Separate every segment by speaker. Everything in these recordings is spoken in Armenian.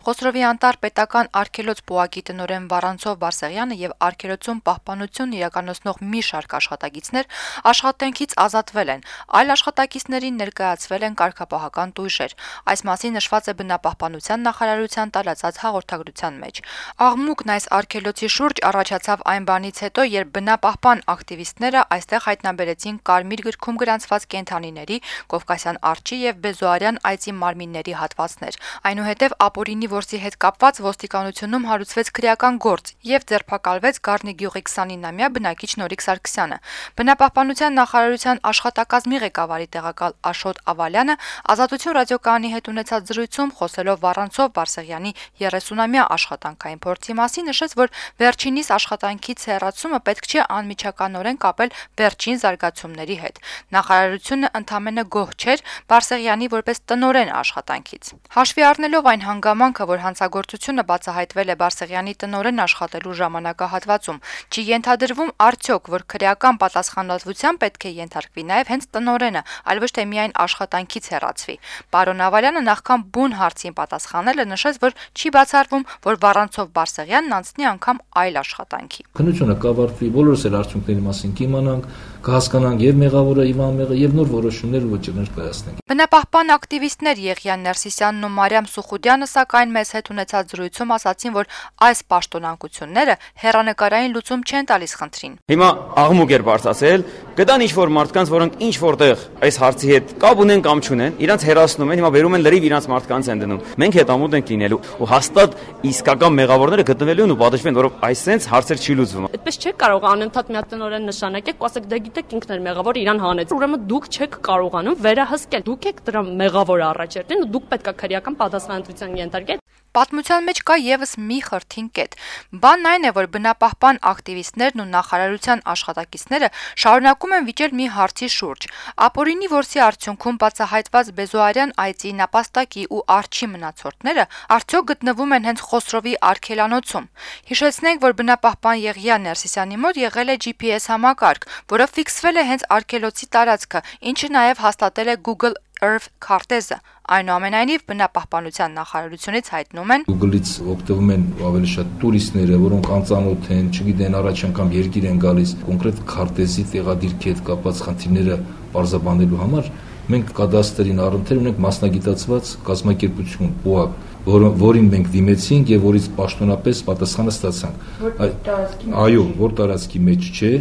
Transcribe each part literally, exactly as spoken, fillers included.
Speaker 1: Խոսրովի անտառ պետական արգելոց բուհակի տնօրեն Վառանցով Բարսեղյանը եւ արգելոցում պահպանություն իրականացնող մի շարք աշխատակիցներ աշխատանքից ազատվել են, այլ աշխատակիցներին ներկայացվել են կարգապահական տույժեր։ Այս մասին նշված է բնապահպանության նախարարության տարածած հաղորդագրության մեջ։ Աղմուկն այս արգելոցի շուրջ առաջացավ այն բանից հետո, երբ բնապահպան ակտիվիստները այստեղ հայտնաբերեցին կարմիր գրքում գրանցված կենդանիների, կովկասյան արջի եւ բեզոարյան այծի մարմինների հատվածներ։ Այնուհետև ապօրինի որսի հետ կապված ոստիկանությունում հարուցվեց քրեական գործ եւ ձերբակալվեց Գառնի գյուղի քսանինամյա բնակիչ Նորիկ Սարգսյանը։ Բնապահպանության նախարարության աշխատակազմի ղեկավարի տեղակալ Աշոտ Ավալյանը Ազատություն ռադիոկայանի հետ ունեցած զրույցում խոսելով Վառանցով Բարսեղյանի երեսունամյա աշխատանքային փորձի մասին նշեց, որ վերջինիս աշխատանքից հեռացումը պետք չէ անմիջականորեն կապել վերջին զարգացումների հետ։ Նախարարությունը ընդամենը գոհ չէր Բարսեղյանի որպես տնօրեն աշխատանքից։ Հաշվի առնելով այն հանգամանքը, որ հանցագործությունը բացահայտվել է Բարսեղյանի տնօրեն աշխատելու ժամանակահատվածում, չի ենթադրվում արդյոք, որ քրեական պատասխանատվության պետք է ենթարկվի նաև հենց տնօրենը, այլ ոչ թե միայն աշխատանքից հեռացվի։ Պարոն Ավալյանը նախքան բուն հարցին պատասխանելը նշեց, որ չի բացառվում, որ Վառանցով Բարսեղյանն անցնի անգամ այլ աշխատանքի։
Speaker 2: Քննությունը կավարտվի, բոլորս էլ արդյունքների մասին կիմանանք, կհասկանանք եւ մեղավորը, եւ անմեղը, եւ նոր որոշումներ ու վճիռներ կայացնենք։
Speaker 1: Բնապահպան ակտիվիստներ Եղիան Ներսիսյանն ու Մարիամ Սուխուդյանը սակայն մեզ հետ ունեցած զրույցում ասացին, որ այս պաշտոնանկությունները հեռանկարային լուծում չեն տալիս խնդրին։
Speaker 3: Հիմա աղմուկ էր բարձրացել, գտան ինչ-որ մարդկանց, որոնք ինչ-որտեղ այս հարցի հետ կապ ունեն կամ չունեն, իրանց հերացնում են, հիմա վերում են լրիվ իրանց մարդկանց են դնում։ Մենք հետամուտ ենք լինելու ու հաստատ իսկական մեղավորները գտնվելու են ու պատժվեն, որով այսպես հարցեր չի լուծվում։
Speaker 4: Այդպես չեք կարող անընդհատ մի հատ տնօրեն նշանակեք, ու ասեք դե գիտեք ինքն էր մեղավոր, իրան հանեց։ Ուրեմն դուք չեք կարողանում վերահսկել։ Դուք եք դրա մեղավորը առաջերտին ու դուք պետք է քրեական պատասխանատվության ենթարկեք։
Speaker 1: Պատմության մեջ կա եւս մի խրթին կետ։ Բանն այն է, որ բնապահպան ակտիվիստներն ու նախարարության աշխատակիցները շարունակում են վիճել մի հարցի շուրջ։ Ապօրինի որսի արդյունքում բացահայտված բեզոարյան այծի նապաստակի ու արջի մնացորդները արդյոք գտնվում են հենց Խոսրովի արգելանոցում։ Հիշեցնենք, որ բնապահպան Եղիան Ներսիսյանի մոտ եղել է G P S համակարգ, որը ֆիքսվել է հենց արգելոցի տարածքը, ինչը նաեւ հաստատել է Google Earth քարտեզը։ Այնուամենայնիվ բնապահպանության նախարարությունից հայտնում են
Speaker 2: Google-ից օգտվում են ավելի շատ տուրիստները, որոնք անծանոթ են, չգիտեն, առաջ անգամ երկիր են գալիս, կոնկրետ քարտեզի տեղադիրքի հետ կապված խնդիրները պարզաբանելու համար մենք կադաստրին առընթեր ունենք մասնագիտացված կազմակերպություն, բուհակ, որ, որին մենք դիմեցինք եւ որից պաշտոնապես պատասխանը ստացանք։ Այո, որ տարածքի մեջ չէ։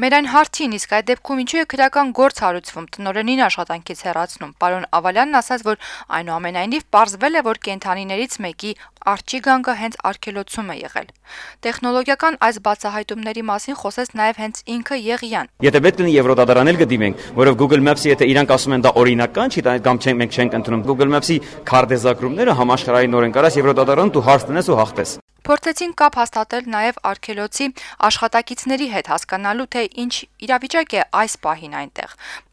Speaker 1: Մեր այն հարցին, իսկ այդ դեպքում ինչու է քրեական գործ հարուցվում, տնօրենին աշխատանքից հեռացնում։ Պարոն Ավալյանն ասաց, որ այնուամենայնիվ պարզվել է, որ կենդանիներից մեկի արջի գանգը հենց արգելոցում է եղել։ Տեխնոլոգիական այս բացահայտումների մասին խոսեց նաև հենց ինքը Եղիան։
Speaker 3: Եթե պետք լինի Եվրոդատարան էլ գտիմենք, որով Google Maps-ի եթե իրանք ասում են դա օրինական չի, դա կամ չենք մենք չենք ընդունում։ Google Maps-ի քարտեզագրումները համաշխարհային օրեն կարաս Եվրոդատարան դու հարց տնես ու հաղթես։
Speaker 1: Փորձեցին կապ հաստատել նաև արգելոցի աշխատակիցների հետ հասկանալու, թե ինչ իրավիճակ է այս պահին այնտեղ։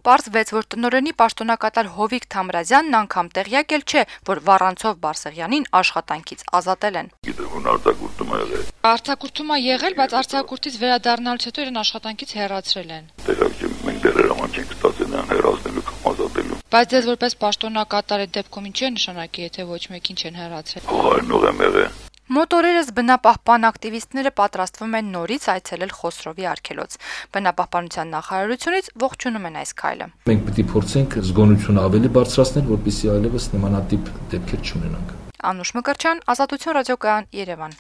Speaker 1: Պարզվեց, որ տնօրենի պաշտոնակատար Հովիկ Թամրազյանն անգամ տեղյակ էլ չէ, որ Վառանցով Բարսեղյանին աշխատանքից ազատել են։
Speaker 5: Գիտեմ, արձակուրդում է եղել։
Speaker 1: Արձակուրդում է եղել, բայց արձակուրդից վերադառնալուց հետո իրեն աշխատանքից հեռացրել են։
Speaker 5: Տեղակ չեմ, մենք դեռ հրաման չենք ստացել նրան հեռացնելու կամ ազատելու։
Speaker 1: Բայց ձեզ որպես պաշտոնակատար այդ դեպքում ինչ է նշանակի, եթե ոչ մեկին չեն հեռացրել։
Speaker 5: Այնուղ եմ եղել։
Speaker 1: Մոտորերս բնապահպան ակտիվիստները պատրաստվում են նորից այցելել Խոսրովի արգելոց։ Բնապահպանության նախարարությունից ողջունում են այս քայլը։
Speaker 2: Մենք պետք է փորձենք զգոնությունը ավելի բարձրացնել, որպեսզի այլևս նմանատիպ դեպքեր չունենանք։
Speaker 1: Անուշ Մկրտչյան, Ազատություն ռադիոկայան, Երևան։